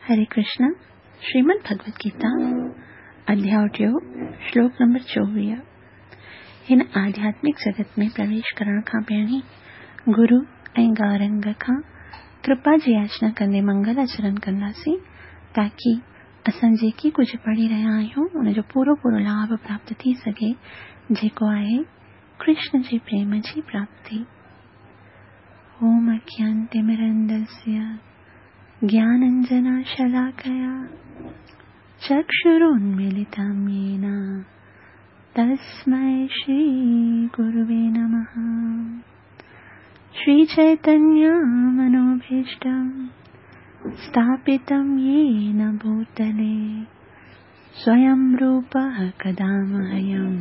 हरे कृष्ण। श्रीमद् भगवत गीता अध्याय टियों, श्लोक नंबर 24। हिन आध्यात्मिक जगत में प्रवेश करण खां पहिरीं गुरु ऐं गौरंग खां कृपा जी याचना कंदे मंगल आचरण कंदासीं, ताकी असां जेकी कुझु पढ़ी रहिया आहियूं उनजो पूरो पूरो लाभ प्राप्त थी सघे, जेको आहे कृष्ण जे प्रेम जी प्राप्ति। ओम अज्ञानतिमिरन्धस्य ज्ञानाञ्जनशलाकया चक्षुरुन्मीलितं येन तस्मै श्रीगुरुवे नमः। श्रीचैतन्यमनोभीष्टं स्थापितं येन भूतले स्वयं रूपः कदा मह्यं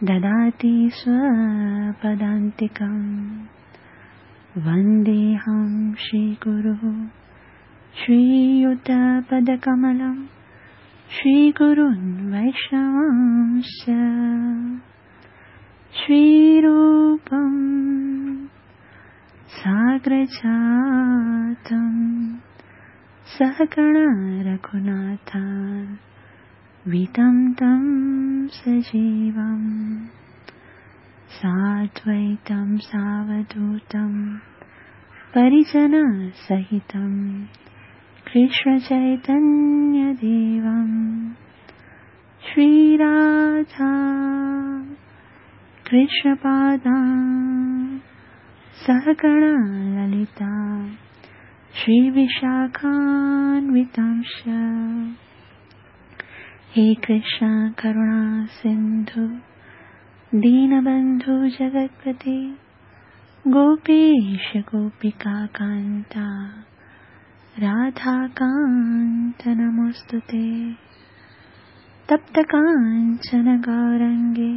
ददाति स्वपदान्तिकम्। वन्देऽहं श्रीगुरुः श्रीयुतपदकमलं श्रीगुरून् वैष्णवांश्च। श्रीरूपं साग्रजातं सहगण रघुनाथान्वितं तं सजीवं साद्वैतं सावधूतं परिजनसहितं कृष्णचैतन्यदेवं। श्रीराधा कृष्णपादां सहगण ललिता श्रीविशाखान्वितांश्च। हे कृष्ण करुणा सिन्धु दीनबन्धु जगत्पते गोपेश गोपिकान्ता राधाकान्त नमोऽस्तुते। तप्तकाञ्चन गौरङ्गे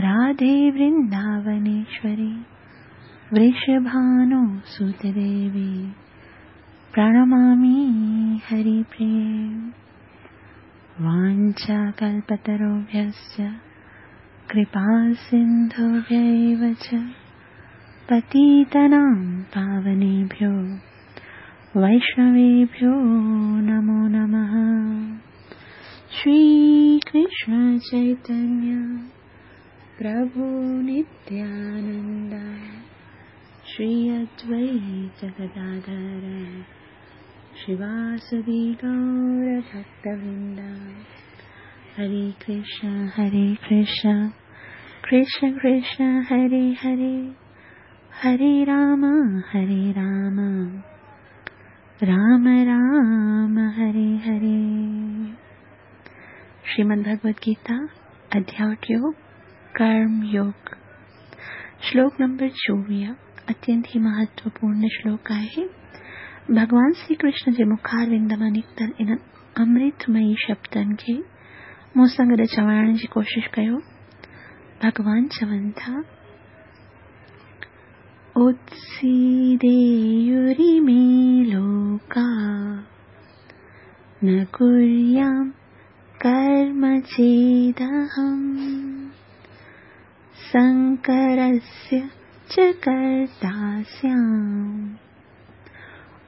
राधे वृन्दावनेश्वरि वृषभानुसुते देवी प्रणमामि हरिप्रिये। वाञ्छाकल्पतरुभ्यश्च कृपासिन्धुभ्यैव च पतितानां पावनेभ्यो वैष्णवेभ्यो नमो नमः। श्रीकृष्ण चैतन्य प्रभु नित्यानन्द श्री अद्वैत गदाधर श्रीवासादि गौरभक्तवृन्द। हरे कृष्ण हरे कृष्ण कृष्ण कृष्ण हरे हरे, हरे राम हरे राम राम राम हरे हरे। श्रीमद् भगवत गीता अध्याय टियों, कर्म योग, श्लोक नंबर 24। अत्यंत ही महत्वपूर्ण श्लोक आहे। भगवान श्री कृष्ण जे मुखारविंद मां निकितल इन्हनि अमृतमयी शब्दनि खे मूं सां गॾु चवाइण जी कोशिश कयो। भगवान चवनि था, उत्सीदेयुरिमे लोका न कुर्यां कर्म चेदहं शङ्करस्य च कर्ता स्याम्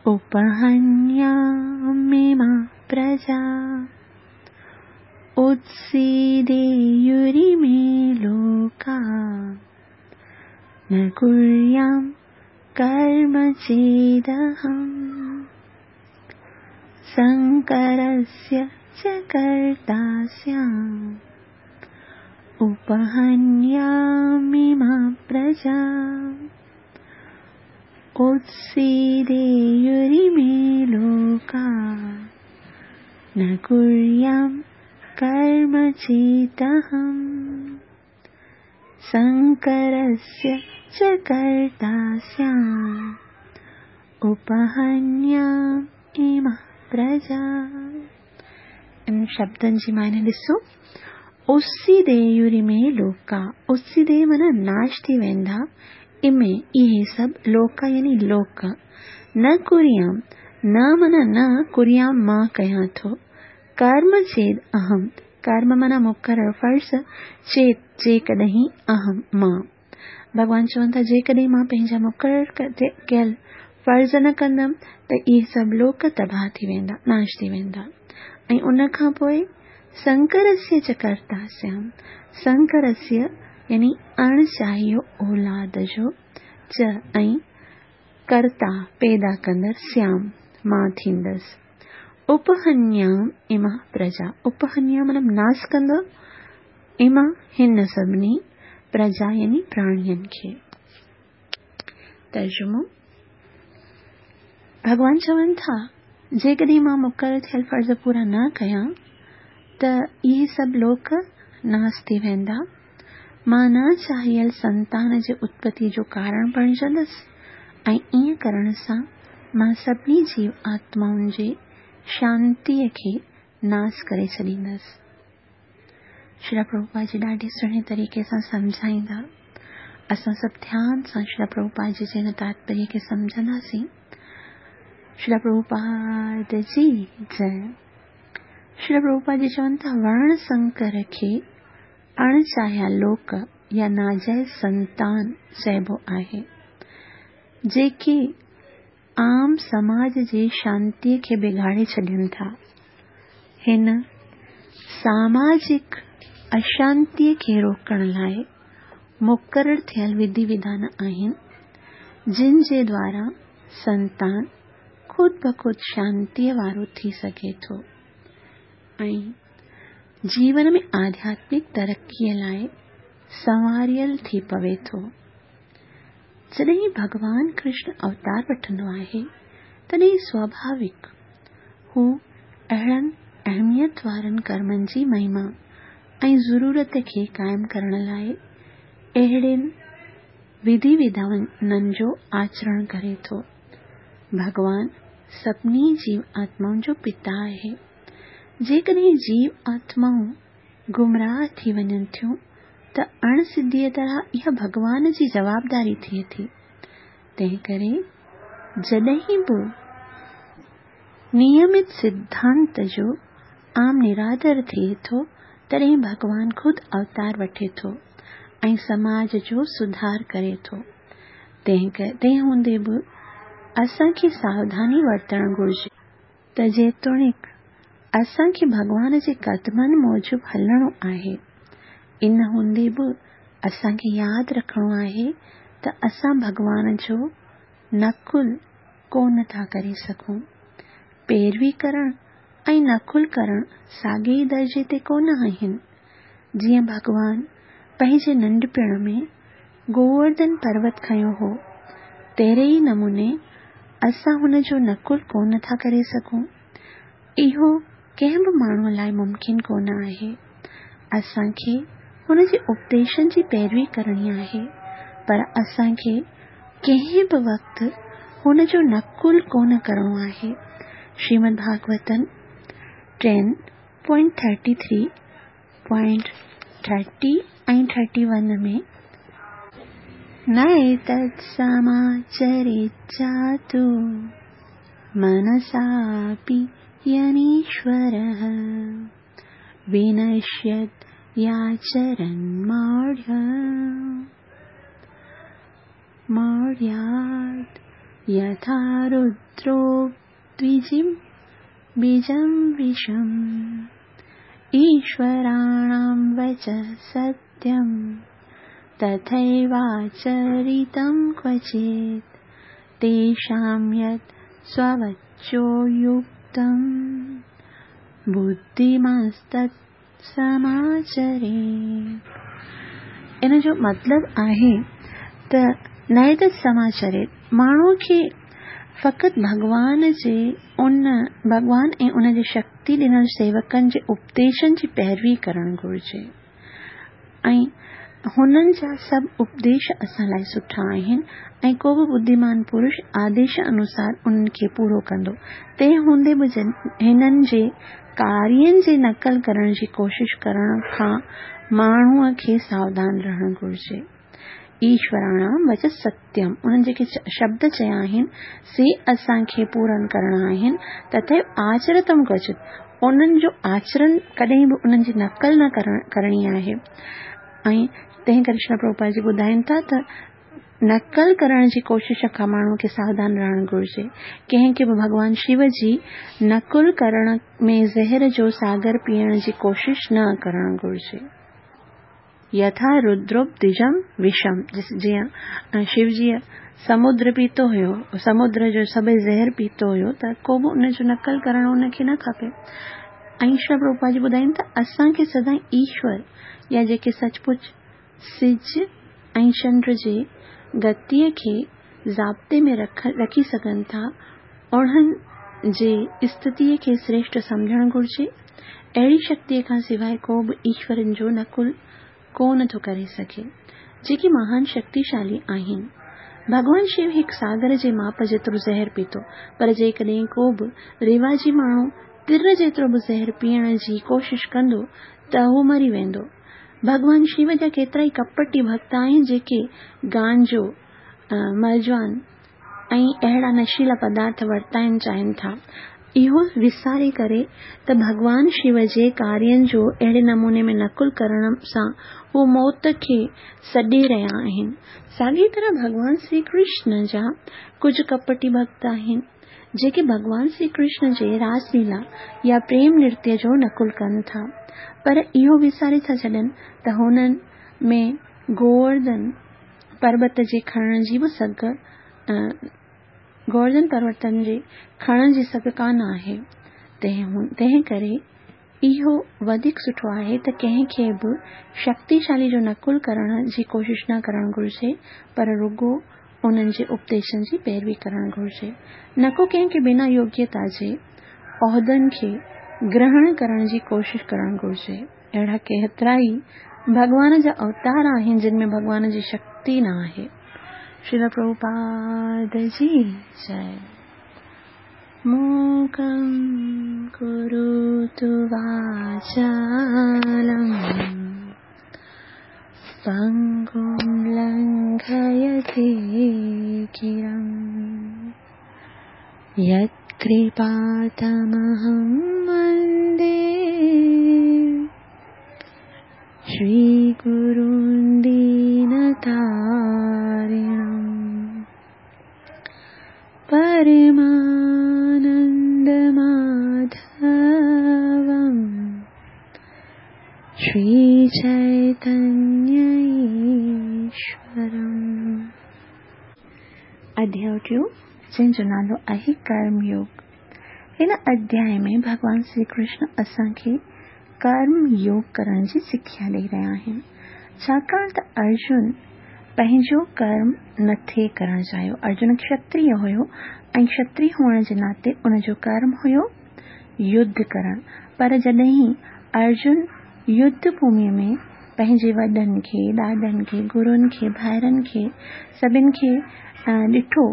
उपहन्यामि मा प्रजा। उत्सीदेयुरिमे लोका न कुर्यां कर्म चेदहं शङ्करस्य च कर्ता स्याम् उपहन्यामि मा प्रजा। उत्सीदेयुरिमे लोका न कुर्यां कर्म चेदहं शङ्करस्य च कर्ता स्याम् उपहन्यामि मा प्रजा। इन शब्दनि जी मायने ॾिसो, उत्सीदेयुरिमे लोका, उत्सीदे माना नाश थी वेंदा, इमे इहे सभु, लोका यानी लोक, न कुर्याम, न माना न, कुर्याम मां कयां थो, कर्म चेद अहम, कर्म माना मुक़ररु फ़र्ज़, चेत जेकॾहिं, अहम मां। भॻवान चवनि था जेकॾहिं मां पंहिंजा मुक़ररु कयल فرض نه ڪندم ته اهي سڀ لوڪ تباهه ٿي ويندا، ناش ٿي ويندا ۽ ان کان پوء سنڪرسيه چ ڪرتا سيام، سنڪرسيه يعني اڻ چاهيو اولاد جو، چ ۽ ڪرتا پيدا ڪندڙ سيام مان ٿيندس. اپهنيام اما پرجا، اپهنيام مطلب ناس ڪندو، اما هن سڀني پرجا يعني پراڻين کي. ترجمو، ڀڳوان چون ٿا، جيڪڏهن مان مقرر ٿيل فرض پورا نه ڪيان ته اهي سڀ لوڪ ناس ٿي ويندا. مان نه چاهيل سنتان جي اتپتي جو ڪارڻ بڻجندس ۽ ائين ڪرڻ سان مان سڀني جيو آتمائن جي شانتيء کي ناس ڪري ڇڏيندس. شريلا پرڀوپاد جي ڏاڍي سهڻي طريقي سان سمجهائيندا. اسان سڀ ڌيان سان شريلا پرڀوپاد جي جي هن تاتپريه کي سمجهنداسين. شريلا پرڀوپاد جي جئه. شريلا پرڀوپاد جي چون ٿا ورڻ سنڪر کي اڻ چاهيا لوڪ يا ناجائز سنتان چئبو آهي. جيڪي عام سماج جي شانتيء کي بگاڙي ڇڏين ٿا. هن ساماجڪ اشانتيء کي روڪڻ لاء مقرر ٿيل وڌي وڌان آهن، جن جي دوارا سنتان خود بخود شانتيء وارو ٿي سگهي ٿو ۽ جيون ۾ آڌياتمڪ ترقيء لاء سنواريل ٿي پوي ٿو. جڏهن ڀڳوان ڪرشن اوتار وٺندو آهي، تڏهن سواڀاويڪ هو اهڙن اهميت وارن ڪرمن جي مهما ۽ ضرورت کي قائم ڪرڻ لاء اهڙين وڌي وڌانن جو آچرڻ ڪري ٿو. ڀڳوان سڀني جيو آتمائن جو پتا آهي. جيڪڏهن جيو آتمائون گمراهه ٿي وڃن ٿيون ته اڻ سڌيء طرح اها ڀڳوان جي جوابداري ٿئي ٿي. تنهنڪري جڏهن به نيمت سڌانت جو عام نرادر ٿئي ٿو، تڏهن ڀڳوان خود اوتار وٺي ٿو ۽ سماج جو سڌار ڪري ٿو. تنهن هوندي به اسان کي ساوڌاني ورتڻ گهرجي. ته جيتوڻيڪ اسان کي ڀڳوان جي قدمن موجب هلڻو آهي، ان هوندي به اسان کي ياد رکڻو آهي ته اسان ڀڳوان جو نقل ڪونه ٿا ڪري سگهون. پيروي ڪرڻ ۽ نقل ڪرڻ ساڳئي ئي درجي تي ڪونه آهن. جيئن ڀڳوان پنهنجي ننڍپڻ ۾ گوورڌن پروت کنيو هو، تهڙي ئي نموني اسان هن جو نقل ڪونه ٿا ڪري سگهون. اهو ڪنهن به ماڻهوء لاء ممڪن ڪونه آهي. اسان کي هن جي اپديشن جي پيروي ڪرڻي آهي، پر اسان کي ڪنهن به وقت هن جو نقل ڪونه ڪرڻو آهي. شريمد ڀاڳوتم ٽين point thirty three point thirty ۽ thirty one ۾. نيتت سماچريت جاتو منساپي ينيشورः ونشيت ياچرن ماڙهه ماڙهيات يٿا رودرو द्विजिं बीजं विषम् ईश्वराणां वचः सत्यं तथैवाचरितं क्वचित् तेषां यत् स्ववचोयुक्तं बुद्धिमांस्तत् समाचरेत्. ان جو مطلب آهي ته نيتت سماچريت ماڻهوء کي فقط ڀڳوان جي ان ڀڳوان ۽ ان جي شڪتي ڏنل سيوڪن جي اپديشن جي پيروي ڪرڻ گهرجي ۽ هنن جا سڀ اپديش اسان لاء سٺا آهن ۽ ڪو به ٻڌيمان پرش آديش انوسار انهن کي پورو ڪندو، تنهن هوندي به هنن جي ڪارين جي نقل ڪرڻ جي ڪوشش ڪرڻ کان ماڻهوء کي ساوڌان رهڻ گهرجي. ايشوراڻام وچ ستيم انهن جيڪي شبد چيا آهن، سي اسان کي پورن ڪرڻا آهن، تٿيو آچرتم ڪوچت انهن جو آچرڻ ڪڏهن به انهن جي نقل نه ڪرڻي آهي ۽ تنهن ڪري شريل پرڀوپاد جي ٻڌائين ٿا ته نقل ڪرڻ جي ڪوشش کان ماڻهوء کي ساوڌان رهڻ گهرجي. ڪنهن کي به ڀڳوان شو جي نقل ڪرڻ ۾ زهر جو ساگر پيئڻ جي ڪوشش نه ڪرڻ گهرجي. يٿا ردروپدجم وشم، جيئن شو جيء سمنڊ پيتو هيو، سمنڊ جو سڀئي زهر پيتو هيو ته ڪو به ان جو نقل ڪرڻ ان کي نه کپي. ۽ شريل پرڀوپاد جي ٻڌائين ته اسان کي سدائين ايشور يا جيڪي سچ پچ سج ۽ چنڊ جي گتيء کي ضابطي ۾ رکي سگهن ٿا، انهن جي استٿيء کي سريشٽ سمجهڻ گهرجي. اهڙي شڪتيء کان سواء ڪو به ايشورن جو نقل ڪو نه ٿو ڪري سگهي، جيڪي مهان شڪتيشالي آهن. ڀڳوان شو هڪ ساگر جي ماپ جيترو زهر پيتو، پر جيڪڏهن ڪو به رواجي ماڻهو تر جيترو به زهر پيئڻ جي ڪوشش ڪندو ته هو مري ويندو. ڀڳوان شو جا ڪيترائي ڪپٽي ڀڳت آهن جيڪي گانجو، مرجوان ۽ اهڙا نشيلا پدارٿ ورتائڻ چاهين ٿا. اهو وساري ڪري ته ڀڳوان شو جي ڪارين جو اهڙي نموني ۾ نقل ڪرڻ سان هو موت کي سڏي رهيا آهن. ساڳي طرح ڀڳوان شري ڪرشن جا ڪجهه ڪپٽي ڀڳت آهن. جيڪي ڀڳوان شري ڪرشن جي راس ليلا يا پريم نرتيه جو نقل ڪن ٿا، پر اهو وساري ٿا ڇڏن ته هنن ۾ گوورڌن پربت جي کڻڻ جي به سگهه گوورڌن پروتن جي کڻڻ جي سگهه ڪانه آهي، تنهن ڪري اهو وڌيڪ سٺو آهي ته ڪنهن کي به شڪتيشالي جو نقل ڪرڻ جي ڪوشش نه ڪرڻ گهرجي، پر رڳو انهن جي اپديشن جي پيروي ڪرڻ گهرجي. نه ڪو ڪنهن کي بنا يوگيتا جي عهدن کي گرهڻ ڪرڻ جي ڪوشش ڪرڻ گهرجي. اهڙا ڪيترائي ڀڳوان جا اوتار آهن جن ۾ ڀڳوان جي شڪتي نه آهي. شريل پرڀوپاد جي جئي. موڪم ڪروتو واچالم پنگم لنگهيتي گرم يتڪرپا تمهم وندي شري گرون دينتارڻم. پرمانند ماڌوم شري چيتنيه ايشورم. اڌياء ٽيون، جنهن جو نالو آهي ڪرم يوگ. هن اڌياء ۾ ڀڳوان شري ڪرشن اسان کي ڪرم يوگ ڪرڻ جي سکيا ڏئي رهيا آهن. ڇاڪاڻ ته ارجن پنهنجو ڪرم نه ٿي ڪرڻ چاهيو. ارجن کشتريه هيو ۽ کشتريه هئڻ جي ناتي ان جو ڪرم هيو يڌ ڪرڻ. پر جڏهن ارجن يڌ ڀوميء ۾ پنهنجي وڏن کي، ڏاڏن کي، گرن کي، ڀائرن کي، سڀن کي ڏٺو،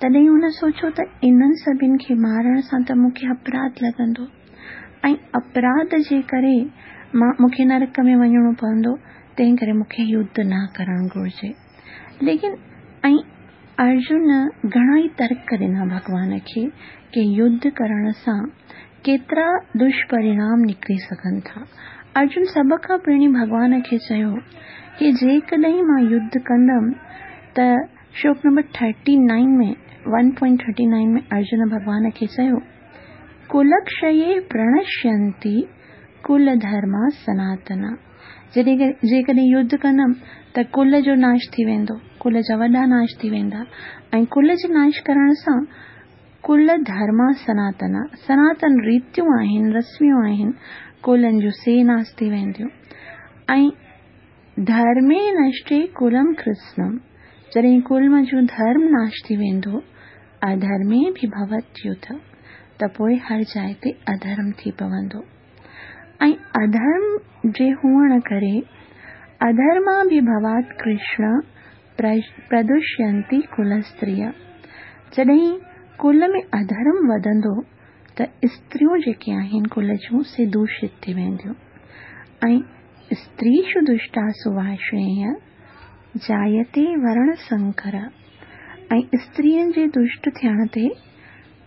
تڏهن هن سوچيو ته انهن سڀن کي مارڻ سان ته مون کي اپراڌ لڳندو ۽ اپراڌ جي ڪري مان مون کي نرڪ ۾ وڃڻو پوندو. تنهن ڪري مون کي يڌ نه ڪرڻ گهرجي. ليڪن ۽ ارجن گهڻا ئي ترڪ ڏنا ڀڳوان کي ڪي يڌ ڪرڻ سان ڪيترا دشپرڻام نڪري سگهن ٿا. ارجن سڀ کان پهرين ڀڳوان کي چيو ڪي جيڪڏهن مان يڌ ڪندم ته شلوڪ number thirty nine ۾ one point thirty nine ۾ Arjun ڀڳوان کي چيو ڪلڪشيي پرڻشينتي ڪل ڌرما سناتنا. جيڪڏهن يڌ ڪندم ته ڪل جو ناش ٿي ويندو، ڪل جا وڏا ناش ٿي ويندا ۽ ڪل جي ناش ڪرڻ سان ڪل ڌرما سناتنا، سناتن ريتيون آهن، رسميون آهن، ڪلن جون سي ناش ٿي وينديون ۽ ڌرمي نشٽي ڪلم ڪرسنم، جڏهن ڪل منجهون ڌرم ناش ٿي ويندو، اڌرمي به ڀوت يڌ، ته پوء هر جاء تي اڌرم ٿي پوندو. ۽ اڌرم جي هئڻ ڪري اڌرماڀيڀوات ڪرشن پردوشينتي ڪلستريه جڏهن ڪل ۾ اڌرم وڌندو ته استريون جيڪي آهن ڪل جون سي دوشت ٿي وينديون ۽ استريشو دشٽاسو وارشڻيه جايتي ورڻ سنڪر ۽ استرين جي دشٽ ٿيڻ تي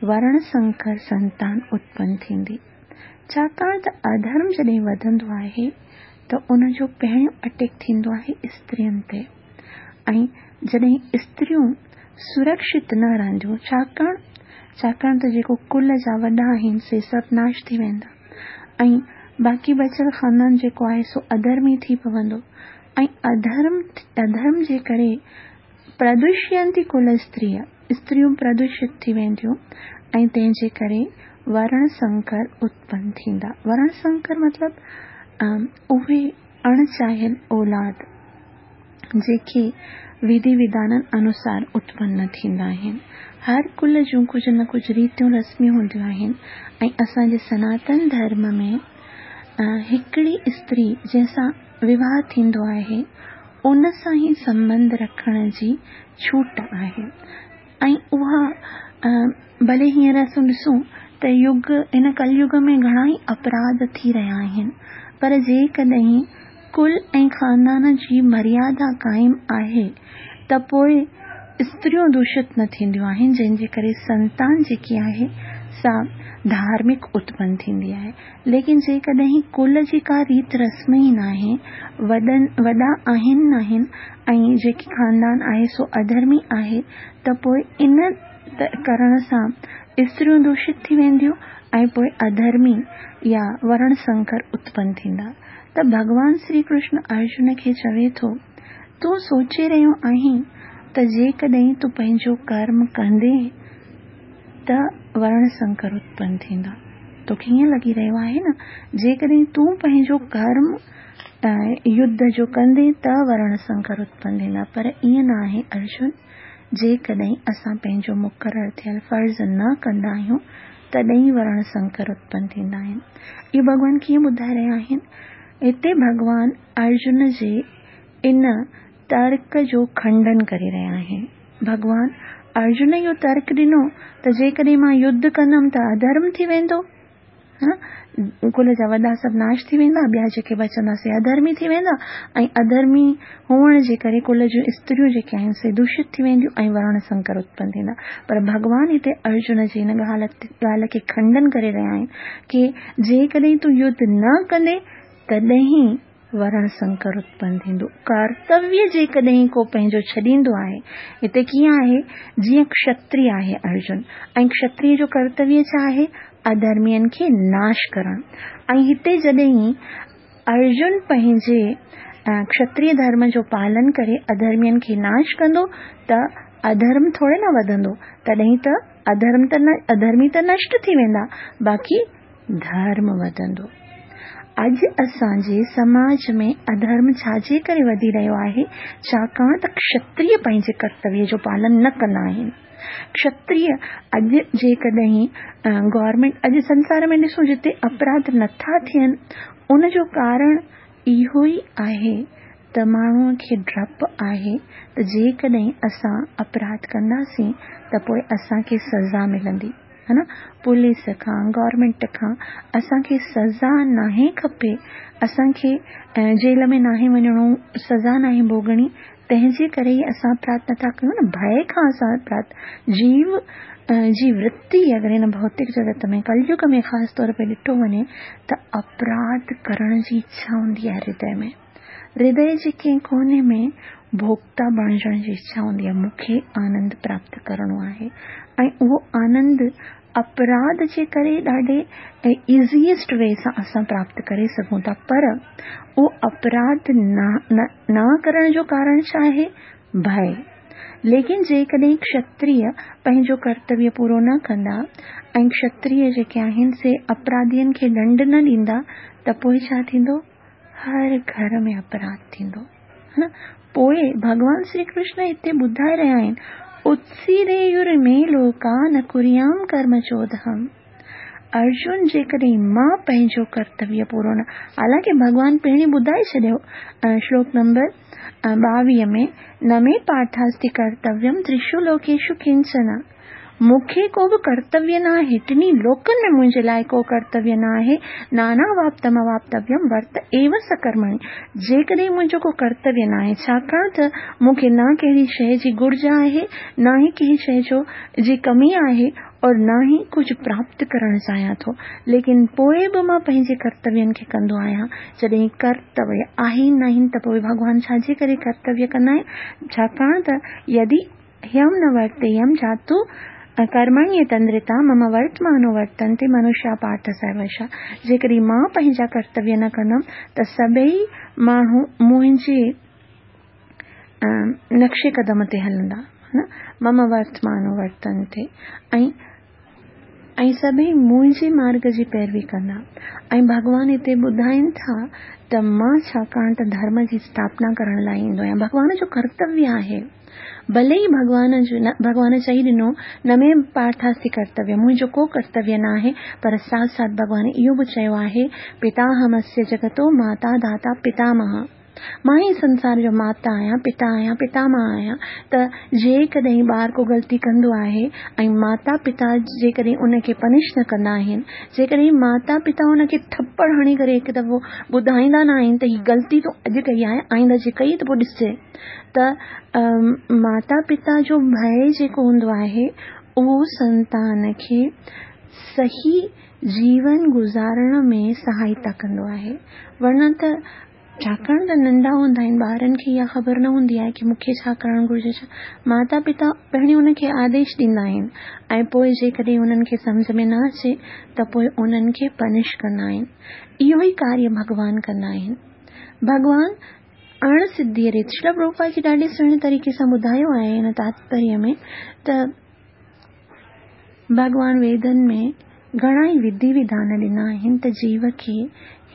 ورڻ سنڪر سنتان اتپن ٿيندي. ڇاڪاڻ ته اڌرم جڏهن وڌندو آهي ته ان جو پهريون اٽيڪ ٿيندو آهي استرين تي ۽ جڏهن استريون سرڪشت نه رهنديون، ڇاڪاڻ ڇاڪاڻ ته جيڪو ڪل جا وڏا آهن سي سڀ ناش ٿي ويندا ۽ باقي بچيل خاندان جيڪو آهي سو اڌرمي ٿي پوندو ۽ اڌرم اڌرم جي ڪري پردوشينتي ڪل استري استريون پردوشت ٿي وينديون ۽ تنهن جي ڪري ورڻ سنڪر اتپن ٿيندا. ورڻ سنڪر مطلب اهي اڻ چاهيل اولاد جيڪي وڌي وڌانن انوسار اتپن نه ٿيندا آهن. هر ڪل جون ڪجهه نه ڪجهه ريتيون رسميون هونديون آهن ۽ اسان جي سناتن ڌرم ۾ هڪڙي استري جنهن سان وواهه ٿيندو آهي ان سان ئي سنٻنڌ رکڻ جي ڇوٽ آهي ۽ اها ڀلي هينئر اسان ڏسون ته يگ هن ڪل يگ ۾ گهڻا ئي اپراڌ ٿي رهيا آهن پر جيڪڏهن ڪل ۽ خاندان جي مريادا قائم آهي ته پوء استريون دوشت نه ٿينديون آهن جنهن جي ڪري سنتان جيڪي آهي سا ڌارمڪ اتپن ٿيندي آهي ليڪن جيڪڏهن ڪل جي ڪا ريت رسم ئي ناهي، وڏن وڏا آهن ناهن ۽ جيڪي خاندان آهي سو اڌرمي آهي ته پوء ان ڪرڻ سان استريون دوشت ٿي وينديون ۽ پوء اڌرمي يا ورڻ سنڪر اتپن ٿيندا ته ڀڳوان سري ڪرشن ارجن کي چوي ٿو تون سوچي رهيو آهين ته جيڪڏهن تون پنهنجو ڪرم ڪندين ته ورڻ سنڪر اتپن ٿيندا. توکي ائين لڳي رهيو آهي نه؟ جيڪڏهن تون پنهنجو ڪرم يڌ جو ڪندين ته ورڻ سنڪر اتپن ٿيندا، پر ائين نه آهي ارجن! جيڪڏهن اسان پنهنجو مقرر ٿيل فرض نه ڪندا آهيون، تڏهن ئي ورڻ سنڪر اتپن ٿيندا آهن. اهو ڀڳوان ڪيئن ٻڌائي رهيا آهن؟ هتي ڀڳوان ارجن جي ان ترڪ جو کنڊن ڪري رهيا آهن. ڀڳوان ارجن اهو ترڪ ڏنو ته جيڪڏهن مان يڌ ڪندم ته اڌرم ٿي ويندو، ڪل جا وڏا سڀ ناش ٿي ويندا، ٻيا جيڪي بچندا سي اڌرمي ٿي ويندا ۽ اڌرمي هئڻ جي ڪري ڪل جون استريون جيڪي آهن سي دوشت ٿي وينديون ۽ ورڻ سنڪر اتپن ٿيندا. پر ڀڳوان هتي ارجن جي ان ڳالهه کي کنڊن ڪري رهيا آهن ڪي جيڪڏهن تون يڌ نه ڪندين تڏهن ورڻ سنڪر اتپن ٿيندو. ڪرتويه جيڪڏهن ڪو پنهنجو ڇڏيندو آهي، هتي ڪيئن آهي، جيئن کشتري آهي ارجن ۽ کشتري جو ڪرتويه ڇا آهي؟ اڌرمين کي ناش ڪرڻ ۽ هتي جڏهن ارجن پنهنجي کشتري ڌرم جو پالن ڪري اڌرمين کي ناش ڪندو ته اڌرم ٿوري نه وڌندو، تڏهن ته اڌرم ته اڌرمي ته نشٽ ٿي ويندا، باقي ڌرم وڌندو. اڄ اسان جي سماج ۾ اڌرم ڇا جي ڪري وڌي رهيو آهي؟ ڇاڪاڻ ته کشتريه پنهنجي ڪرتويه جو پالن نه ڪندا آهن. کشتريه اڄ جيڪڏهن گورنمينٽ اڄ سنسار ۾ ڏسون جتي اپراڌ نٿا ٿين ان جو ڪارڻ اهو ئي آهي ته ماڻهوء کي ڊپ آهي ته جيڪڏهن اسان اپراڌ ڪنداسين ته پوء اسان کي سزا ملندي. ها نه پوليس کان گورنمينٽ کان اسان کي سزا ناهي کپي اسان کي جيل ۾ ناهي وڃڻو سزا ناهي ڀوڳڻي تنهن جي ڪري ئي اسان اپراڌ نٿا ڪيون نه ڀئي کان اسان اپراڌ جيو جي ورتي اگر هن ڀوتڪ جڳت ۾ ڪليگ ۾ خاص طور پي ڏٺو وڃي ته اپراڌ ڪرڻ جي اڇا هوندي آهي هردي ۾ هردي جي ڪنهن ڪوني ۾ ڀوڳتا بڻجڻ جي اڇا هوندي آهي، مون کي آنند پراپت ڪرڻو آهي ۽ اهو آنند اپراڌ جي ڪري ڏاڍي ايزيئسٽ وي سان اسان پراپت ڪري سگهون ٿا پر اهو اپراڌ نه نه ڪرڻ جو ڪارڻ ڇا آهي؟ ڀئي. ليڪن جيڪڏهن کشتريه پنهنجو ڪرتويه پورو نه ڪندا ۽ کشتريه جيڪي آهن سي اپراڌين کي ڏنڊ نه ڏيندا ته پوء ڇا ٿيندو؟ هر گهر ۾ اپراڌ ٿيندو ها نه پوء ڀڳوان شري ڪرشن هتي ٻڌائي رهيا آهن اتسيرير مي لوڪا نه ڪريام ڪرم چودهم ارجن جيڪڏهن مان پنهنجو ڪرتويه پورو نه حالانڪه ڀڳوان پهرين ٻڌائي ڇڏيو شلوڪ نمبر 22 ۾ نه مي پارٿاستي ڪرتويم ترشو لوڪيشو ڪنچن مون کي ڪو به ڪرتويه نه آهي، ٽنهي لوڪن ۾ منهنجي لاء ڪو ڪرتويه نه آهي، ناناواپتمواپتويم ورت ايو سڪرمڻي، جيڪڏهن منهنجو ڪو ڪرتويه نه آهي، ڇاڪاڻ ته مون کي نه ڪهڙي شيء جي گهرج آهي، نه ئي ڪنهن شيء جو جي ڪمي آهي، اور نه ئي ڪجهه پراپت ڪرڻ چاهيان ٿو، ليڪن پوء به مان پنهنجي ڪرتوين کي ڪندو آهيان. جڏهن ڪرتويه آهي ئي ناهن ته پوء ڀڳوان ڇا جي ڪري ڪرتويه ڪندا آهن؟ ڇاڪاڻ ته يدي هيم نه ورتيم جاتو ڪرمڻي تندرتا مم ورتمانو ورتنتي منشيا پارٿ سروشا جيڪڏهن مان پنهنجا ڪرتويه نه ڪندم ته سڀئي ماڻهو منهنجي نقش قدم تي هلندا مم ورتمانو ورتنتي ۽ ۽ سڀئي منهنجي مارگ جي پيروي ڪندا ۽ ڀڳوان هتي ٻڌائين ٿا ته مان ڇاڪاڻ ته ڌرم جي اسٿاپنا ڪرڻ لاء ايندو آهيان ڀڳوان جو ڪرتويه آهي ڀلي ئي ڀڳوان جو نه ڀڳوان چئي ڏنو نه مي پارٿاستي ڪرتويه منهنجو ڪو ڪرتويه نه آهي پر ساٿ ساٿ ڀڳوان اهو به چيو آهي پتاهمسيه جگتو ماتا ڌاتا پتامهه مان ئي سنسار جو ماتا آهيان، پتا آهيان، پتامهه آهيان ته جيڪڏهن ٻار ڪو غلطي ڪندو آهي ۽ ماتا پتا جيڪڏهن ان کي پنش نه ڪندا آهن، جيڪڏهن ماتا پتا ان کي ٿپڙ هڻي ڪري هڪ دفعو ٻڌائيندا نه آهن ته هي غلطي تون اڄ ڪئي آهي آئنده جي ڪئي ته پوء ڏسجي ته ماتا پتا جو ڀئي جيڪو هوندو آهي اهو سنتان کي صحيح جيون گذارڻ ۾ سهائتا ڪندو آهي ورنه ته ڇاڪاڻ ته ننڍا هوندا آهن ٻارن کي اها خبر نه هوندي آهي ڪي مون کي ڇا ڪرڻ گهرجي ڇا ماتا پتا پهرين انهن کي آديش ڏيندا آهن ۽ پوء جيڪڏهن انهن کي سمجهه ۾ نه اچي ته پوء انهن کي پنش ڪندا آهن اهو ئي ڪاريه ڀڳوان ڪندا آهن ڀڳوان اڻ سڌيء ريت شريل پرڀوپاد جي ڏاڍي سهڻي طريقي سان ٻڌايو آهي هن تاتپريه ۾ ته ڀڳوان ويدن ۾ گهڻا ئي وڌي وڌان ڏنا آهن ته جيو کي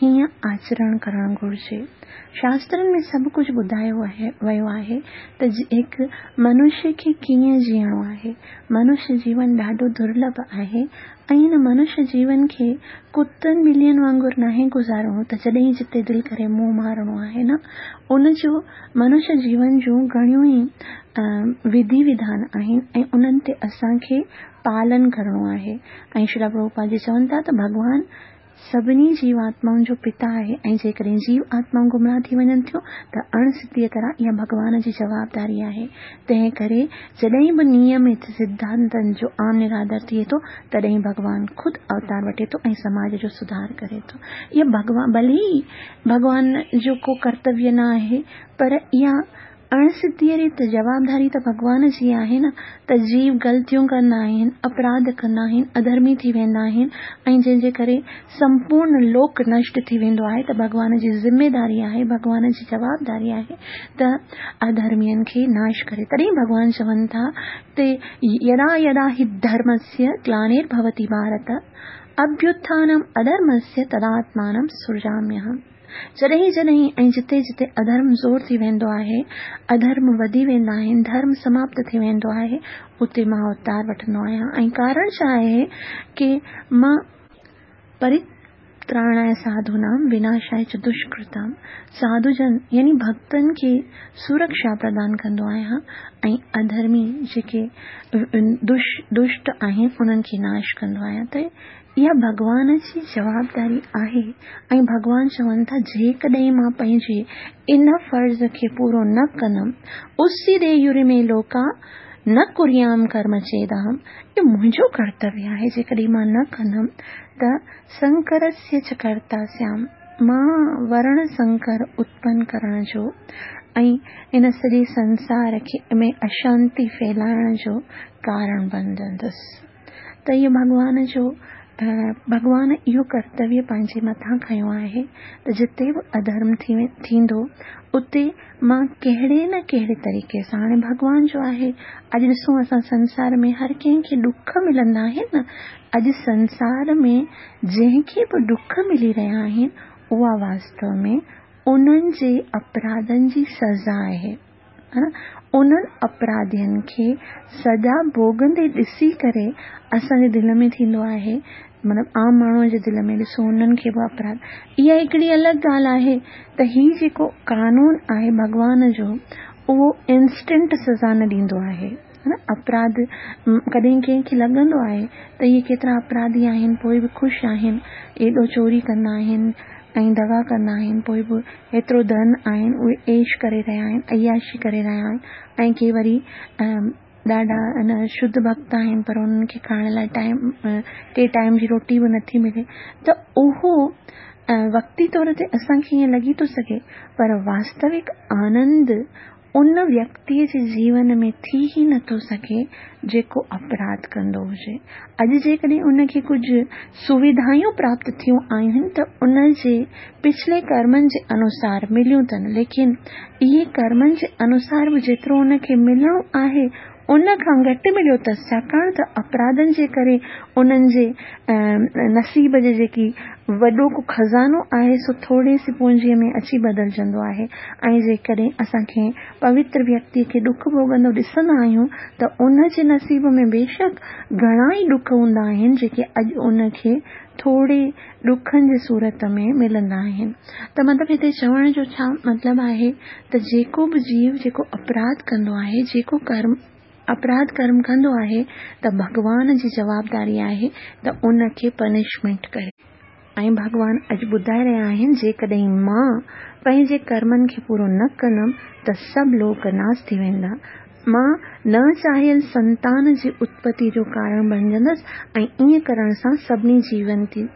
هيئن آچرڻ ڪرڻ گهرجي. شاسترن ۾ سڀ ڪجهه ٻڌايو ويو آهي ته هڪ منشي کي ڪيئن جيئڻو آهي. منشي جيون ڏاڍو درلڀ آهي ۽ هن منشي جيون کي ڪتن ٻلين وانگر ناهي گذارڻو ته جڏهن جتي دل ڪري منهن مارڻو آهي نه ان جو منشي جيون جون گهڻيون ئي وڌي وڌان آهن ۽ انهن تي اسان کي پالن ڪرڻو آهي ۽ شريلا پرڀوپاد جي چون ٿا ته ڀڳوان سڀني جيوآتمائن جو پتا آهي ۽ جيڪڏهن جيو آتمائون گمراهه ٿي وڃن ٿيون ته اڻ سڌيء طرح اها ڀڳوان جي جوابداري آهي تنهن ڪري جڏهن به نيمت سڌانتن جو عام نرادر ٿئي ٿو تڏهن ڀڳوان خود اوتار وٺي ٿو ۽ سماج جو سڌار ڪري ٿو اها ڀڳوان ڀلي ئي ڀڳوان جو ڪو ڪرتويه نه آهي پر اها اڻ سڌيء ريت جوابداري ته ڀڳوان جي آهي نه ته جيو غلطيون ڪندا آهن، اپراڌ ڪندا آهن، اڌرمي ٿي ويندا آهن ۽ جنهن جي ڪري سمپورڻ لوڪ نشٽ ٿي ويندو آهي ته ڀڳوان جي ذميداري آهي، ڀڳوان جي جوابداري آهي ته اڌرمين کي ناش ڪري. تڏهن ڀڳوان چون ٿا ته يدا يدا هي ڌرمسيه گلانير ڀوتي ڀارت اڀيوٿانم اڌرمسيه تداتمانم سرجاميهم. جڏهن جڏهن ۽ جتي جتي اڌرم زور ٿي ويندو آهي، اڌرم وڌي ويندا آهن، ڌرم سماپت ٿي ويندو آهي، اتي مان اوتار وٺندو آهيان ۽ ڪارڻ ڇا آهي ڪي مان پرتراڻاء ساڌونام وناشاء چ دشڪرتام ساڌوجن يعني ڀڳتن کي سرڪشا پردان ڪندو آهيان ۽ اڌرمي جيڪي دشٽ آهن انهن کي ناش ڪندو آهيان ته اها ڀڳوان جي جوابداري آهي ۽ ڀڳوان چون ٿا جيڪڏهن مان پنهنجي ان فرض کي پورو نه ڪندم اسي دييورمي لوڪا نه ڪريام ڪرم چيداهم اهو منهنجو ڪرتويه آهي جيڪڏهن مان نه ڪندم ته سنڪرسيه چ ڪرتا سيام مان ورڻ سنڪر اتپن ڪرڻ جو ۽ ان سڄي سنسار کي ۾ اشانتي ڦهلائڻ جو ڪارڻ بڻجندس. ته اهو ڀڳوان جو ڀڳوان اهو ڪرتويه پنهنجي مٿان کنيو آهي ته جتي به اڌرم ٿي ٿيندو اتي مان ڪهڙي نه ڪهڙي طريقي سان هاڻي ڀڳوان جو آهي اڄ ڏسون اسان سنسار ۾ هر ڪنهن کي ڏک ملندا آهن نه اڄ سنسار ۾ جنهن کي به ڏک ملي رهيا آهن اها واستو ۾ انهن جي اپراڌن جي سزا آهي. انهن اپراڌين کي سزا ڀوڳندي ڏسي ڪري اسان جي دل ۾ ٿيندو آهي مطلب عام ماڻهوء جي دل ۾ ڏسو انهن کي به اپراڌ اها هڪڙي الڳ ڳالهه آهي ته هي جيڪو قانون آهي ڀڳوان جو اهو انسٽنٽ سزا نه ڏيندو آهي اپراڌ ڪڏهن ڪنهن کي لڳندو آهي ته اهي ڪيترا اپراڌي آهن پوء به خوش آهن ايڏو چوري ڪندا آهن ۽ دغا ڪندا آهن پوء به ايترو ڌن آهن اهي عيش ڪري رهيا آهن عياشي ڪري رهيا آهن ۽ ڪي وري ڏاڍا ان شڌ ڀڳت آهن پر انهن کي کائڻ لاء ٽائيم ٽي ٽائيم جي روٽي به نٿي ملي ته اهو وقتي طور تي اسان کي ائين لڳي ٿو سگهي پر واستوڪ آنند ان ويڪتيء جي جيون ۾ ٿي ئي نٿو سگهي جيڪو اپراڌ ڪندو هجي. اڄ جيڪڏهن ان کي ڪجهه سويڌايون پراپت ٿيون آهن ته ان جي پڇلي ڪرمن جي انوسار مليون اٿن ليڪن اهي ڪرمن جي انوسار به جيترو ان کي ملڻو آهي ان کان گهٽ مليو اٿس ڇاڪاڻ ته اپراڌن جي ڪري انهن جي نصيب جي جيڪي وڏو ڪو خزانو آهي سو ٿوري سي پونجيء ۾ اچي بدلجندو آهي ۽ جيڪڏهن اسان ڪنهن پوتر ويڪتيء کي ڏک ڀوڳندو ڏسندا آهيون ته ان جي نصيب ۾ بيشڪ گهڻا ئي ڏک هوندا آهن جيڪي اڄ ان کي ٿوري ڏکن جي صورت ۾ ملندا آهن ته مطلب هتي چوڻ جو ڇا مطلب آهي ته جيڪو به جيو جيڪو اپراڌ ڪندو آهي جيڪو ڪرم اپراڌ ڪرم ڪندو آهي ته ڀڳوان جي جوابداري آهي ته ان کي پنشمينٽ ڪري. ۽ ڀڳوان اڄ ٻڌائي رهيا آهن جيڪڏهن مان پنهنجي ڪرمن کي پورو نه ڪندم ته سڀ لوڪ ناس ٿي ويندا مان نه چاهيل سنتان جي اتپتي جو ڪارڻ بڻجندس ۽ ائين ڪرڻ سان سڀني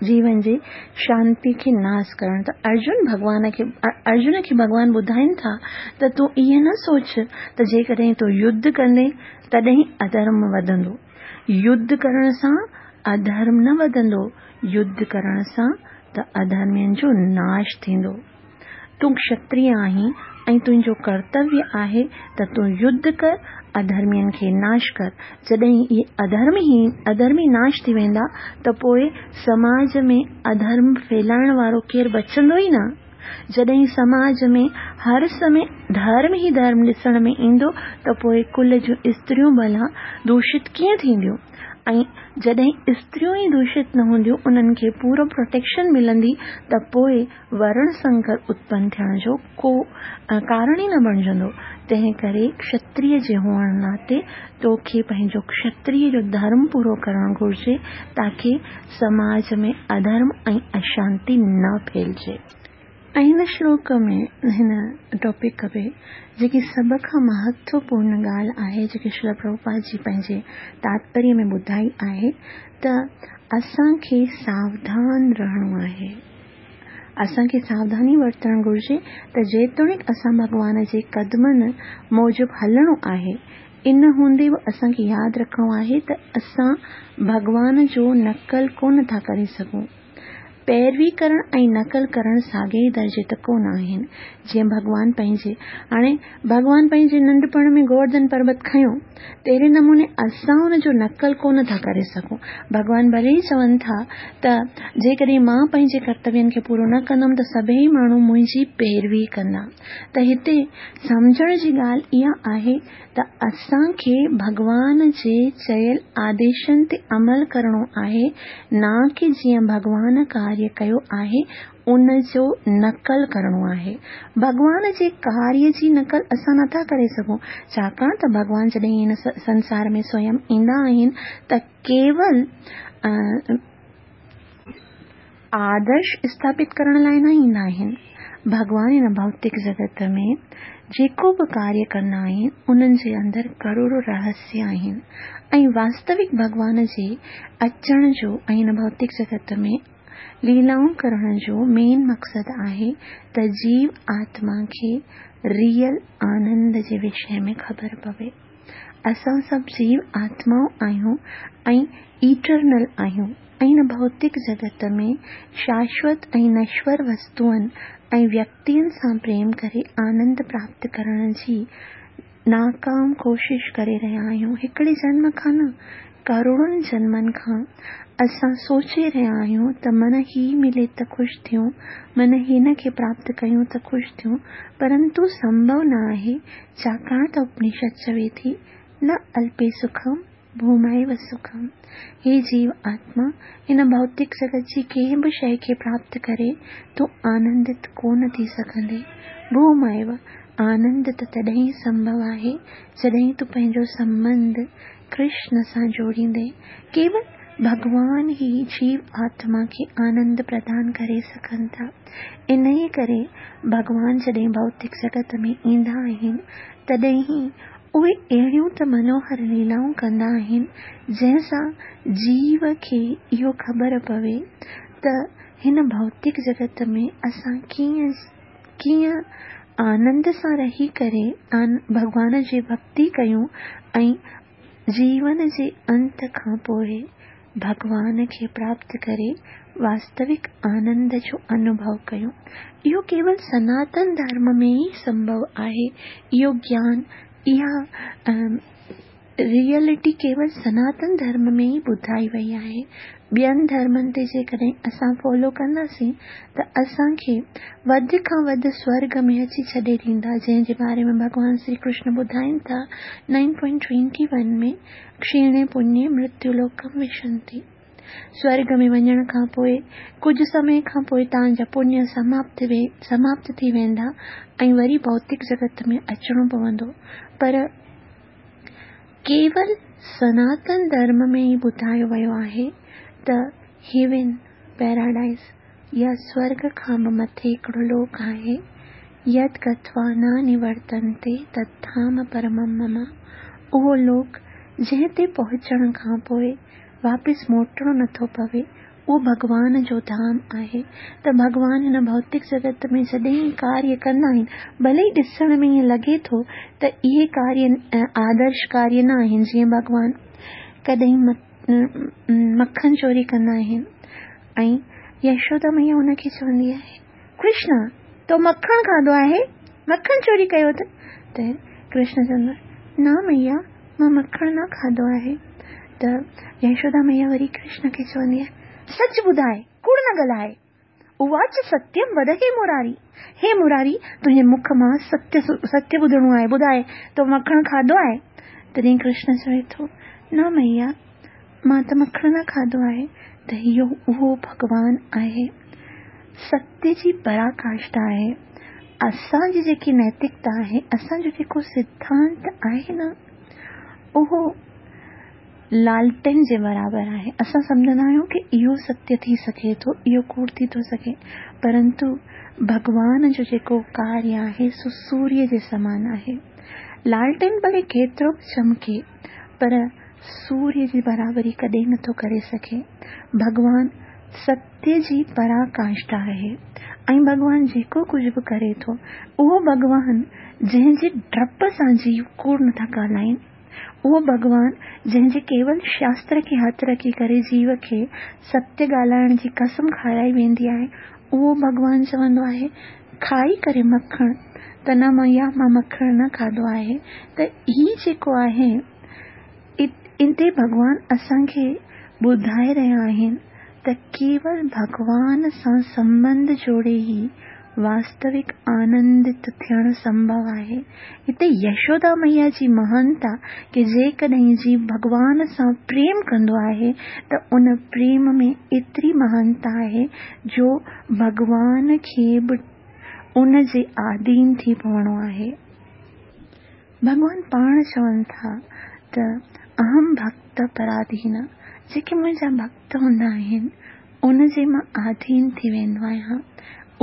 جيون جي شانتي کي ناس ڪرڻ ته ارجن ڀڳوان کي ارجن کي ڀڳوان ٻڌائين ٿا ته تون ائين نه سوچ ته جيڪڏهن تون يڌ ڪندين تڏهن اڌرم وڌندو. يڌ ڪرڻ سان اڌرم نه وڌندو، يڌ ڪرڻ سان ته اڌرمين جو ناش ٿيندو. تون کشتريه آهين ۽ تنهنجو ڪرتويه آهي ته تون يڌ ڪر، اڌرمين کي ناش ڪر. جڏهن اهي اڌرمي ناش ٿي ويندا ته پوء سماج ۾ اڌرم ڦهلائڻ وارو ڪير بچندو ئي نه. جڏهن سماج ۾ هر سمي ڌرم ئي ڌرم ڏسڻ ۾ ايندو ته پوء ڪل جون استريون ڀلا دوشت ڪيئن ٿينديون؟ ۽ جڏهن استريون ئي دوشت نه هونديون، انهن کي پورو پروٽيڪشن ملندي ته پوء ورڻ سنڪر اتپن ٿيڻ جو ڪو ڪارڻ ئي نه بڻجندو، تنهن ڪري کشتريه جي هئڻ ناتي توکي پنهنجو کشتريه جو ڌرم پورو ڪرڻ گهرجي تاڪه سماج ۾ اڌرم ۽ اشانتي نه ڦهلجي. ۽ هن شلوڪ ۾ هن ٽاپڪ ۾ جيڪي سڀ کان مهتوپورن ڳالهه آهي جيڪي شريل پرڀوپاد جي پنهنجي تاتپريه ۾ ٻڌائي آهي ته اسان کي ساوڌان رهڻو آهي. اسان کي ساوڌاني ورتڻ گهرجي ته جيتوڻيڪ اسان ڀڳوان جي قدمن موجب هلڻو آهي، ان هوندي به اسان کي ياد رکڻو آهي ته اسان ڀڳوان جو نقل ڪونه ٿا ڪري سگهون. پيروي ڪرڻ ۽ نقل ڪرڻ ساڳئي ئي درجي ته ڪونه آهن. جيئن ڀڳوان پنهنجي هاڻي ڀڳوان پنهنجي ننڍپڻ ۾ گوورڌن پربت کنيو، تهڙي نموني اسان ان جو نقل ڪونه ٿا ڪري سگهون. ڀڳوان ڀلي ئي چون ٿا ته جيڪڏهن مان پنهنجي ڪرتوين کي پورو نه ڪندم ته سڀيئي ماڻهو منهنجي پيروي ڪندا. ته هتي سمجهڻ جي ڳالهه اها آهي ته اسان کي ڀڳوان جي چيل آديشن تي عمل ڪرڻو آهي نه ڪي جيئن ڀڳوان ڪاريه ڪيو آهي ان جو نقل ڪرڻو آهي. ڀڳوان جي ڪاريه جي نقل اسان نٿا ڪري سگهون، ڇاڪاڻ ته ڀڳوان جڏهن هن سنسار ۾ سويم ايندا آهن ته ڪيول آدرش اسٿاپت ڪرڻ لاء نه ايندا آهن. ڀڳوان هن ڀوتڪ جڳت ۾ جيڪو به ڪاريه ڪندا آهن، انهن جي اندر ڪروڙو رهسيه آهن ۽ واستوڪ ڀڳوان جي اچڻ جو ۽ هن ڀوتڪ جڳت ۾ ليلائون ڪرڻ جو مين مقصد آهي ته جيو آتما کي ريئل آنند جي وشي ۾ خبر پوي. اسان سڀ جيو آتمائون آهيون ۽ ايٽرنل آهيون ۽ هن ڀوتڪ جڳت ۾ شاشوت ۽ نشور وستوئن ۽ ويڪتين سان پريم ڪري آنند پراپت ڪرڻ جي ناڪام ڪوشش ڪري رهيا آهيون. هڪڙي جنم کان نه، ڪروڙن جنمن کان اسان سوچي رهيا آهيون ته من هي ملي ته خوش ٿيون، من هن کي پراپت ڪيون ته خوش ٿيون، پرنتو سنڀو نه آهي، ڇاڪاڻ ته اپنشد چوي ٿي، نه الپي سکم ڀومائو سکم. هي جيو آتما، هن ڀوتڪ جڳت جي ڪنهن به شيء کي پراپت ڪري تون آنندت ڪو نه ٿي سگهندين. ڀومائو، آنند ته تڏهن ئي سنڀو آهي، جڏهن تون پنهنجو سنٻنڌ ڪرشن سان جوڙيندين. ڪيول ڀڳوان ئي جيو آتما کي آنند پردان ڪري سگهن ٿا. انهيء ڪري ڀڳوان جڏهن ڀوتڪ جڳت ۾ ايندا آهن، تڏهن ئي اهي اهڙيون ته منوهر ليلائون ڪندا آهن، جنهن سان جيو کي اهو خبر پوي ته هن ڀوتڪ جڳت ۾ اسان ڪيئن ڪيئن آنند سان رهي ڪري ڀڳوان جي ڀڳتي ڪيون ۽ جيون جي انت کان پوء ڀڳوان کي پراپت ڪري واستوڪ آنند جو انوڀو ڪيون. اهو ڪيول سناتن ڌرم ۾ ئي سنڀو آهي. اهو گيان، اها ريئلٽي ڪيول سناتن ڌرم ۾ ئي ٻڌائي وئي آهي. ٻين ڌرمن تي جيڪڏهن اسان فالو ڪنداسين ته اسان کي وڌ کان وڌ سورڳ ۾ اچي ڇڏي ڏيندا، جنهن جي باري ۾ ڀڳوان شري ڪرشن ٻڌائين ٿا نائن پوائنٽ ٽوئنٽي ون ۾، ڪشيڻي پڃي مرتيو لوڪم وشنتي. سورڳ ۾ وڃڻ کان پوء ڪجهه سمي کان پوء توهان جا پڃ سماپت ٿي ويندا ۽ وري ڀوتڪ جڳت ۾ اچڻو پوندو. پر ڪيول سناتن ڌرم ۾ ئي ٻڌايو ويو آهي ته هيون، پيراڊائيز، يا سورڳ کان به مٿي هڪڙو لوڪ آهي، يد گتوا نه نورتنتي تد ڌام پرمم مم، اهو لوڪ جنهن تي پهچڻ کان پوء واپس موٽڻو نه ٿو پوي، اهو ڀڳوان جو ڌام آهي ته ڀڳوان هن ڀوتڪ جڳت ۾ جڏهن ڪاريه ڪندا آهن، ڀلي ئي ڏسڻ ۾ ائين لڳي ٿو ته اهي ڪاريه آدرش ڪاريه نه آهن، جيئن ڀڳوان ڪڏهن مکن چوري ڪندا آهن ۽ يشودا مئيا ان کي چوندي آهي، ڪرشن تو مکڻ کاڌو آهي، مکڻ چوري ڪيو اٿئي؟ ته ڪرشن چوندو آهي، نه مئيا مان مکڻ نه کاڌو آهي. ته يشودا مئيا وري ڪرشن کي چوندي آهي، سچ ٻڌاء، ڪوڙ نه ڳالهاء. اواچ ستيم ود هي مراري، هي مراري تنهنجي مک مان ستيه ستيه ٻڌڻو آهي، ٻڌاء تو مکڻ کاڌو آهي؟ تڏهن ڪرشن چوي ٿو، نه مئيا مان ته مکڻ نه کاڌو آهي. ته اهو اهو ڀڳوان آهي. ستيه جي پراڪاشٺا آهي. اسان جي جيڪي نيتڪتا آهي، اسان جو جيڪو سڌانت آهي نه، اهو لالٽين جي برابر آهي. اسان سمجهندا آهيون ڪه اهو ستيه ٿي سگهي ٿو، اهو ڪوڙ ٿي ٿو سگهي، پرنتو ڀڳوان جو جيڪو ڪاريه آهي سو سوريه جي سمان آهي. لالٽين ڀلي ڪيترو به چمڪي پر سوريه جي برابري ڪڏهن نٿو ڪري سگهي. ڀڳوان ستيه جي پراڪاشٺا آهي ۽ ڀڳوان جيڪو ڪجهه به ڪري ٿو اهو ڀڳوان جنهن جي ڊپ سان جيو ڪوڙ نٿا ڳالهائين، اهو ڀڳوان جنهن جي ڪيول شاستر کي هٿ رکي ڪري جيو کي ستيه ڳالهائڻ جي قسم کارائي ويندي آهي، اهو ڀڳوان چوندو آهي کائي ڪري مکڻ ته نه مئيا مان مکڻ نه کاڌو آهي ته هي جيڪو آهي اتي ڀڳوان اسان کي ٻڌائي رهيا آهن ته ڪيول ڀڳوان سان سنٻنڌ جوڙي ئي واستوڪ آنندت ٿيڻ سنڀو آهي. هتي يشودا مئيا جي مهانتا ڪي جيڪڏهن جيو ڀڳوان سان پريم ڪندو آهي ته ان پريم ۾ ايتري مهانتا آهي جو ڀڳوان کي به ان جي آڌين ٿي پوڻو آهي. ڀڳوان پاڻ چون ٿا ته اهم ڀڳت پراڌين، جيڪي منهنجا ڀڳت هوندا آهن، ان جي مان آڌين ٿي ويندو آهيان.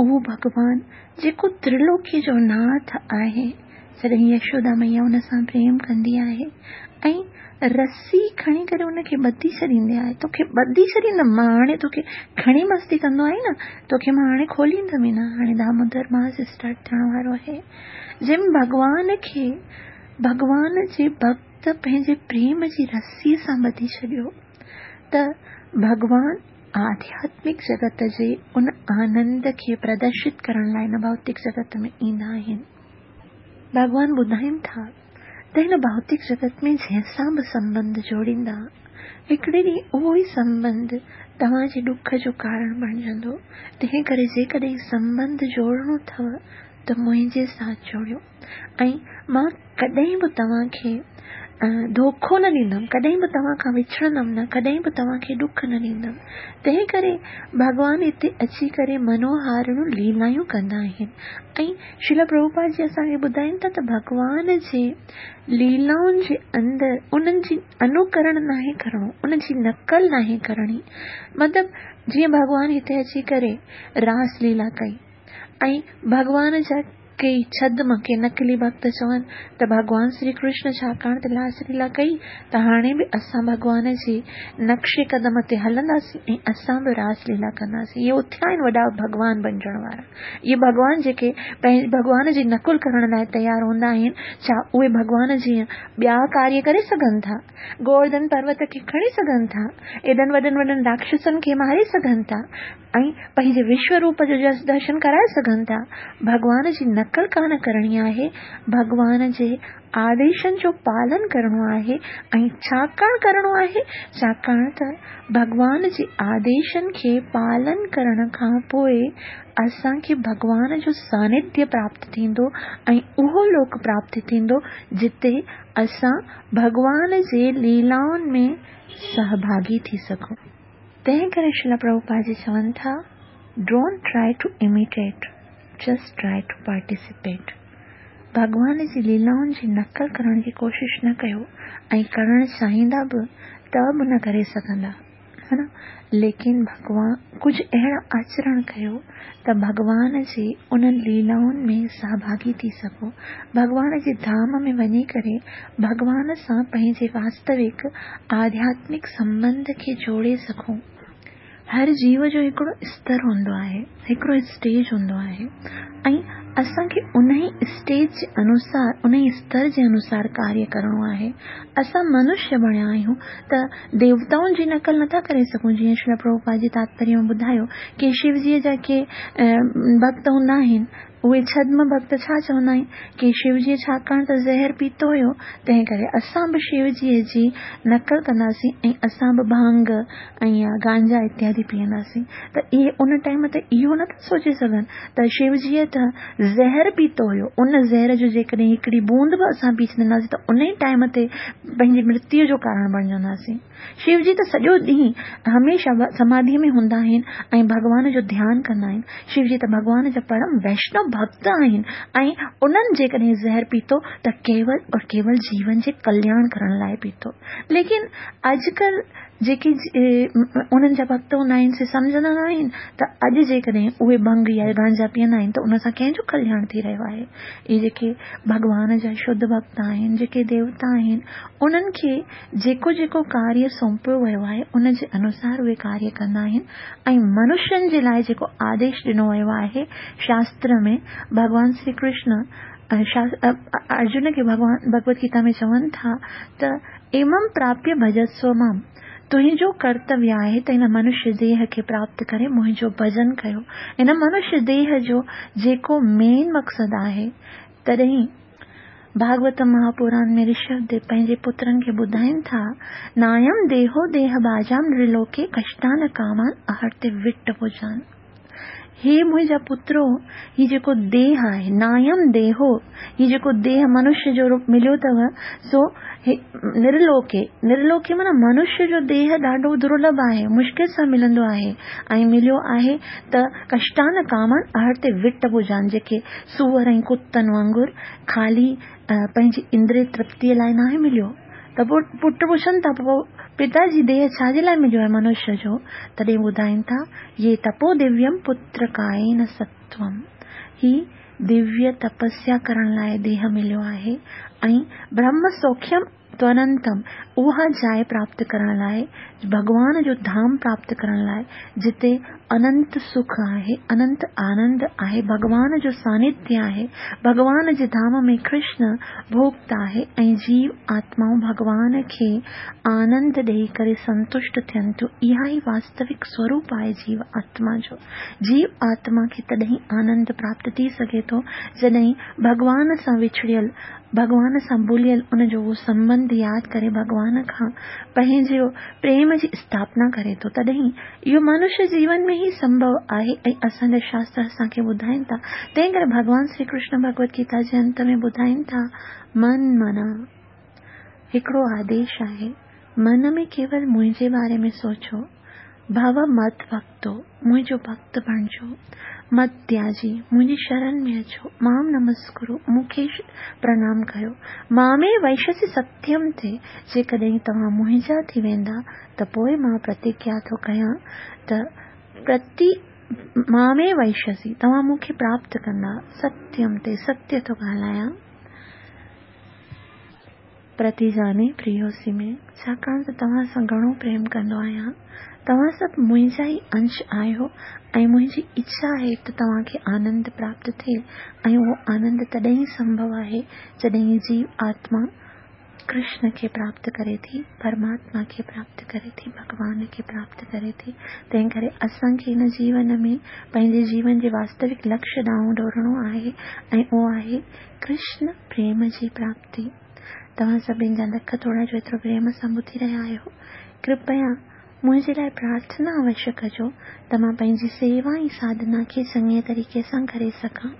اهو ڀڳوان جيڪو ترلوڪي جو ناٿ آهي، جڏهن يشودا مئيا ان سان پريم ڪندي آهي ۽ رسي کڻي ڪري ان کي ٻڌي ڇڏيندي آهي، توکي ٻڌي ڇڏيندم مان هاڻي توکي کڻي مستي ڪندو آهين نه، توکي مان هاڻي کوليندم ئي نه، هاڻي دامودر ماس اسٽارٽ ٿيڻ وارو آهي. جنهن ڀڳوان کي ڀڳوان جي ڀڳت پنهنجي پريم جي رسيء سان ٻڌي ڇڏيو ته ڀڳوان آڌياتمڪ جڳت جي ان آنند کي پردرشت ڪرڻ لاء هن ڀوتڪ جڳت ۾ ايندا آهن. ڀڳوان ٻڌائين ٿا ته هن ڀوتڪ جڳت ۾ جنهن سان به سنٻنڌ جوڙيندا، هڪڙي ڏينهن اهو ئي سنٻنڌ توهان جي ڏک جو ڪارڻ بڻجندو. تنهن ڪري جيڪڏهن سنٻنڌ جوڙڻو اٿو ته منهنجي ساٿ جوڙيو ۽ مان ڪڏهن به توهان کي ڌوکو نه ڏيندم، ڪڏهن به توهان کان وڇڙندم نه، ڪڏهن به توهان کي ڏک نه ڏيندم. تنهن ڪري ڀڳوان هتي اچي ڪري منوهارڻيون ليلايون ڪندا آهن ۽ شريلا پرڀوپاد جي اسان کي ٻڌائين ٿا ته ڀڳوان جي ليلائن جي اندر انهن جي انوڪرڻ ناهي ڪرڻو، ان جي نقل ناهي ڪرڻي. مطلب جيئن ڀڳوان هتي اچي ڪري راس ليلا ڪئي. ۽ ڀڳوان جا ڪي ڇدم، ڪي نقلي ڀڳت چون ته ڀڳوان شري ڪرشن ڇاڪاڻ ته راس ليلا ڪئي ته هاڻي به اسان ڀڳوان جي نقش قدم تي هلنداسين ۽ اسان به راس ليلا ڪنداسين. اهي اٿيا آهن وڏا ڀڳوان بنجڻ وارا. اهي ڀڳوان جيڪي ڀڳوان جي نقل ڪرڻ لاء تيار هوندا آهن، ڇا اهي ڀڳوان جيئن ٻيا ڪاريه ڪري سگهن ٿا؟ گوورڌن پروت کي کڻي سگهن ٿا؟ ايڏن وڏن وڏن راڪشسن کي ماري سگهن ٿا؟ ۽ پنهنجي وشو روپ جو درشن ڪرائي سگهن ٿا. ڀڳوان جي نقل ڪانه ڪرڻي آهي، ڀڳوان جي آديشن جو پالن ڪرڻو آهي ۽ ڇاڪاڻ ڪرڻو آهي؟ ڇاڪاڻ ته ڀڳوان جي آديشن کي پالن ڪرڻ کان پوء اسان کي ڀڳوان جو سانڌيه پراپت ٿيندو ۽ اهو لوڪ پراپت ٿيندو جتي اسان ڀڳوان جي ليلائن ۾ سهڀاڳي ٿي سگهون. تنهن ڪري شريلا پرڀوپاد جي چون ٿا، Don't try to imitate, just try to participate. ڀڳوان جي ليلائن جي نقل ڪرڻ جي ڪوشش نه ڪيو ۽ ڪرڻ چاهيندا به ته به نه ڪري سگهندا ها نه ليڪن ڀڳوان ڪجهه اهڙا آچرڻ ڪيو ته ڀڳوان جي انهن ليلائن ۾ سهڀاڳي ٿي سگهو ڀڳوان جي ڌام ۾ وڃي ڪري ڀڳوان سان پنهنجي واستوڪ آڌياتمڪ سنٻنڌ کي جوڙي سگهون. هر جيو جو هڪڙو استر هوندو آهي، هڪڙو اسٽيج هوندو آهي ۽ اسان کي انهي اسٽيج جي انوسار، انهي استر جي انوسار ڪاريه ڪرڻو آهي. اسان منشيه بڻيا آهيون ته ديوتائن جي نقل نٿا ڪري سگهون جيئن شريلا پرڀوپاد جي تاتپريه ۾ ٻڌايو ڪي شو جيء جا ڪي ڀڳت هوندا آهن اهي ڇدم ڀڳت ڇا چوندا آهن ڪي شو جيء ڇاڪاڻ ته زهر پيتو هيو، تنهن ڪري اسان به شو جيء جي نقل ڪنداسين ۽ اسان به ڀانگ ۽ يا گانجا اتيادي پيئنداسين ته اهي ان ٽائيم تي اهو نه ٿا سوچي سگهن ته شو جيء ته زهر پيتو هيو، ان زهر جو جيڪڏهن هڪڙي بوند به اسان پي ڇڏنداسين ته ان ئي ٽائيم تي پنهنجي مرتيو جو ڪارڻ بڻجنداسين. شو جي ته سڄو ڏينهن هميشه سماڌيء ۾ هوندا آهن ۽ ڀڳوان جو ڌيان ڪندا آهن. شو جي ته ڀڳوان جا پرم ويشنو ڀڳت آهن ۽ انهن جيڪڏهن زهر پيتو ته ڪيول اور ڪيول جيون جي ڪلياڻ ڪرڻ لاء پيتو. ليڪن اڄڪلهه جيڪي انهن جا ڀڳت هوندا آهن سي سمجهندا نه آهن ته اڄ جيڪڏهن اهي ڀنگ يا گانجا پيئندا آهن ته ان سان ڪنهن جو ڪلياڻ ٿي رهيو آهي. اهي جيڪي ڀڳوان جا شڌ ڀڳت آهن، جيڪي ديوتا آهن، انهن کي جيڪو جيڪو ڪاريه سونپيو ويو آهي، ان جي انوسار اهي ڪاريه ڪندا آهن ۽ منشين جي لاء جيڪو آديش ڏنو ويو آهي شاستر ۾ ڀڳوان شري ڪرشن ارجن کي ڀڳوان ڀڳوت گيتا ۾ چون ٿا ته ايمم پراپيه ڀجسو مام تنهنجو ڪرتويه آهي ته هن منشيه ديهه کي پراپت ڪري منهنجو ڀجن ڪيو. هن منشيه ديهه جو جيڪو مين مقصد آهي تڏهن ڀاڳوت مهاپوران ۾ رشڀ ديو پنهنجي پترن کي ٻڌائين ٿا، نايم ديهو ديهه ڀاجام نرلوڪي ڪشٽان ڪامان اهرتي وٽ ڀجان. هي منهنجا پترو، هي جيڪو ديهه آهي، نايم ديهو، هي جيڪو ديهه منشيه جو روپ مليو اٿو، سو نرلوڪي، نرلوڪي معنيٰ منشيه جو ديهه ڏاڍو درلڀ آهي، مشڪل سان ملندو آهي ۽ مليو آهي ته ڪشٽان ڪامان اهرتي وٽ ڀجان، جيڪي سوئر ۽ ڪتن وانگر خالي پنهنجي اندري ترپتيء لاء ناهي مليو. ته پوء پٽ پڇن ٿا، پوء پتا جي ديهه ڇا جي لاء مليو آهي منشيه جو؟ تڏهن ٻڌائين ٿا، يي تپو دويم پتر ڪائين ستوم. هي دويه تپسيا ڪرڻ لاء ديهه مليو آهي ۽ برهم سوکيم توننتم، اها جاء پراپت ڪرڻ لاء، ڀڳوان جو ڌام پراپت ڪرڻ لاء، جتي اننت سک آهي، اننت آنند آهي، ڀڳوان جو سانڌيه آهي، ڀڳوان جي ڌام ۾ ڪرشن ڀوڳتا آهي ۽ جيو آتمائون ڀڳوان کي آنند ڏيئي ڪري سنتشٽ ٿين ٿيون، اها ئي واستوڪ سوروپ آهي جيو آتما جو. جيو آتما کي تڏهن آنند پراپت ٿي سگهي ٿو، جڏهن ڀڳوان سان وڇڙيل ڀڳوان سان ڀليل ان جو اهو سنٻنڌ ياد ڪري ڀڳوان کان پنهنجي پريم جي اسٿاپنا ڪري ٿو تڏهن اهو منشيه جيون ۾ ئي سنڀو آهي ۽ اسان جا شاستر اسان کي ٻڌائين ٿا تنهن ڪري ڀڳوان شري ڪرشن ڀڳوت گيتا جي انت ۾ ٻڌائين ٿا من منا هڪڙو آديش آهي من ۾ ڪيول منهنجي باري ۾ سوچو ڀو مت ڀڳتو، منهنجو ڀڳت بڻجو، مت تياجي، منهنجي شرن ۾ اچو، مام نمسڪرو، مون کي پرنام ڪيو، مامي ويشسي ستيم تي، جيڪڏهن توهان منهنجا ٿي ويندا ته پوء مان پرتگيا ٿو ڪيان ته پرتي. مامي وئشيسي، توهان مون کي پراپت ڪندا، ستيم تي ستيه ٿو ڳالهايان. پرتيجاني پريوسي ۾، ڇاڪاڻ ته توهان سان گهڻو پريم ڪندو آهيان. توهان سڀ منهنجا ئي انش آهيو ۽ منهنجي اڇا آهي ته توهان کي آنند پراپت ٿئي ۽ اهو آنند تڏهن ئي سنڀو آهي جڏهن جيو آتما ڪرشن کي پراپت ڪري ٿي، پرماتما کي پراپت ڪري ٿي، ڀڳوان کي پراپت ڪري ٿي. تنهن ڪري اسان کي هن جيون ۾ پنهنجي جيون جي واستوڪ لڪشيه ڏانهن ڊوڙڻو آهي ۽ اهو آهي ڪرشن پريم جي پراپتي. توهان سڀني جا لک ٿورا جو ايترو پريم سان ٻڌي رهيا آهيو. ڪرپيا منهنجي لاء پرارٿنا اوشيه ڪجو ته مان پنهنجي سيوا ۽ ساڌنا کي چڱي طريقي سان ڪري سگهان.